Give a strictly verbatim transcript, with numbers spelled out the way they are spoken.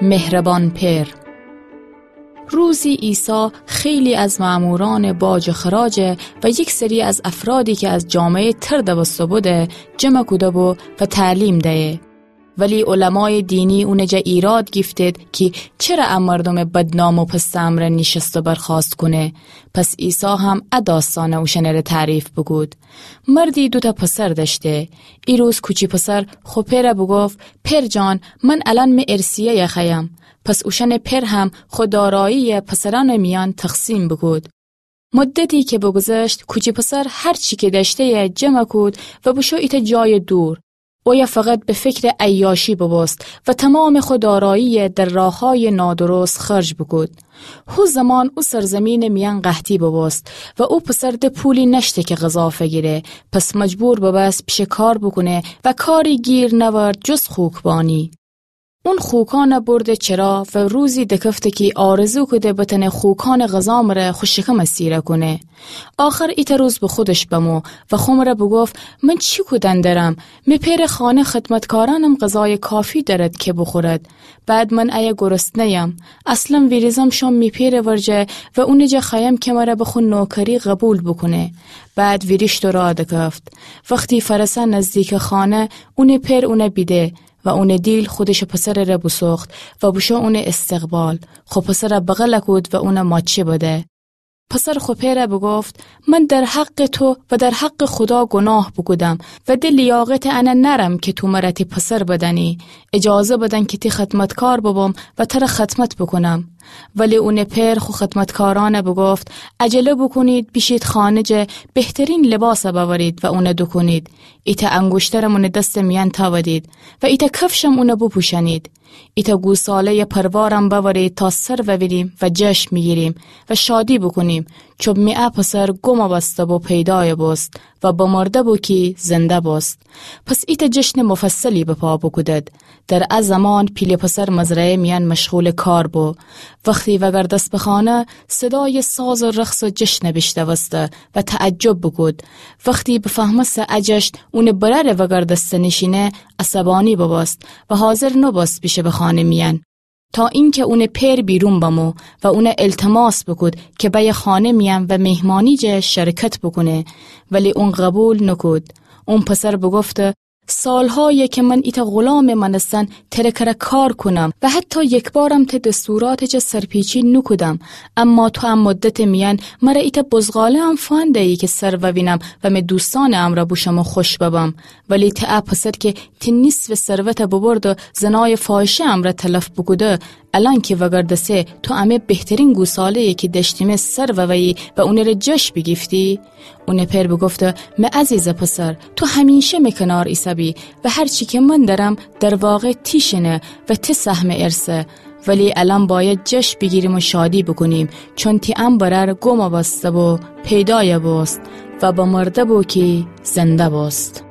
مهربان پئر. روزی عیسی خیلی از مأمورأنٚ باج و خراج و یک سری از افرادی که از جامعهٔ تر دوسته‌بوده، جمع کوده‌بو و تعلیم دیه. ولی علمایٚ دینی اونٚ جا ایراد گیفتید کی چره ا مردومٚ بدنام و پستٚ امرأ نیشست و برخاست کونه. پس عیسی هم ا داستأنه اوشأنٚره تعریف بوکود. مردی دوتأ پسر دأشته. ای روز کوچی پسر خو پئره بوگفت: پئر جان، من الأن می ارثیه‌یه خوأیم. پس اوشأنٚ پئر هم خو دارایی‌یه پسرأنٚ میأن تقسیم بوکود. مدتی که بوگذشت، کوچی پسر هر چی که دأشته‌یه جمع کود و بوشو ایتأ جایٚ دور. اویه فقط به فکرٚ عیاشی بوبوست و تومامٚ خو دارایی‌یه در راههایٚ نادرست خرج بوکود. هو زمان او سرزمینٚ میأن قحطی بوبوست و او پسر ده پولی نأشته که غذا فگیره، پس مجبور بوبوست پیشه کار بوکونه و کاری گیر نأورد جز خوکبانی. اون خوکأنه برده چرا و روزی دکفته کی آرزو کوده بتأنه خوکأنٚ غذا مره خو شکمه سیره کونه. آخر ایتأ روز به خودش بمو و خو مره بوگفت: من چی کودن درم؟ می پئرٚ خانه خدمتکارأنم غذایٚ کافی دأرد که بوخورد. بعد من ایه گرسنه‌یم. اصلاً ویریزم شوم می پئرٚ ورجه و اونٚ جا خوأیم که مره به خو نوکری قبول بوکونه. بعد ویریشت و راه دکفت. وختی فأرسه نزدیکٚ خانه، اونٚ پئر اونه بیده و اونٚ دیل خودشٚ پسرٚ ره بوسوخت و بوشو اونٚ استقبال. خو پسره بغل کود و اونه ماچه بده. پسر خو پئره بوگفت: من در حقٚ تو و در حقٚ خودا گناه بوکودم و ده لیاقتٚ انه نأرم که تو مره تی پسر بدأنی. اجازه بدن که تی خدمتکار ببم و تره خدمت بوکونم. ولی اونٚ پئر خو خدمتکارأنه بوگفت: عجله بوکونید، بیشید خانه جه بهترین لباسه بأورید و اونه دوکونید. ایتأ انگوشترم اونٚ دستٚ میأن تأودید و ایتأ کفشم اونه بوپوشأنید. ایتأ گوساله‌یٚ پروارم بأورید تا سر ووینیم و جشن بیگیریم و شادی بوکونیم، چون می ا پسر گم بسته بو پیدایه بوست و بمرده بو کی زنده بوست. پس ایتأ جشنٚ مفصلی به پا بوکودد. در ا زمان پیله پسر مزرعه‌یٚ میأن مشغولٚ کار بو. وختی وگردست به خانه، صدایٚ ساز و رقص و جشنه بیشنوسته و تعجب بوکود. وختی بفهمسته ا جشن اونٚ برأرٚ وگردستنٚ شینه، عصبانی بوبوست و حاضر نوبوست بیشه به خانه میأن، تا اینکه اونٚ پئر بیرون بمو و اونه التماس بوکود که بأیه خانه میأن و میهمانی جه شرکت بوکونه، ولی اون قبول نوکود. اون پسر بوگفته: سالهایه که من ایتأ غلامٚ مأنستن تره کره کار کونم و حتی یکبارم ته دستوراتٚ جه سرپیچی نوکودم، اما تو ا مدتٚ میأن مره ایتأ بزغاله‌ام فوأن ده‌یی که سر ووینم و می دوستأنٚ امرأ بوشم و خوش ببم. ولی ته ا پسر که تی نیصفٚ ثروته بوبرده و زنایٚ فاحشه‌یٚ امرأ تلف بوکوده، الأن که وگردسه تو امه بهترین گوساله‌یی که دأشتیمه سر وویی و اونٚ ره جشن بیگیفتی؟ اونٚ پئر بوگفته: می عزیزٚ پسر، تو همیشه می کنار ایسه‌بی و هر چی که من دأرم در واقع تی شینه و تی سهمٚ ارثه. ولی الأن بأید جشن بیگیریم و شادی بوکونیم، چون تی ا برأر گم بسته بو پیدایه بوست و بمرده بو کی زنده بوست.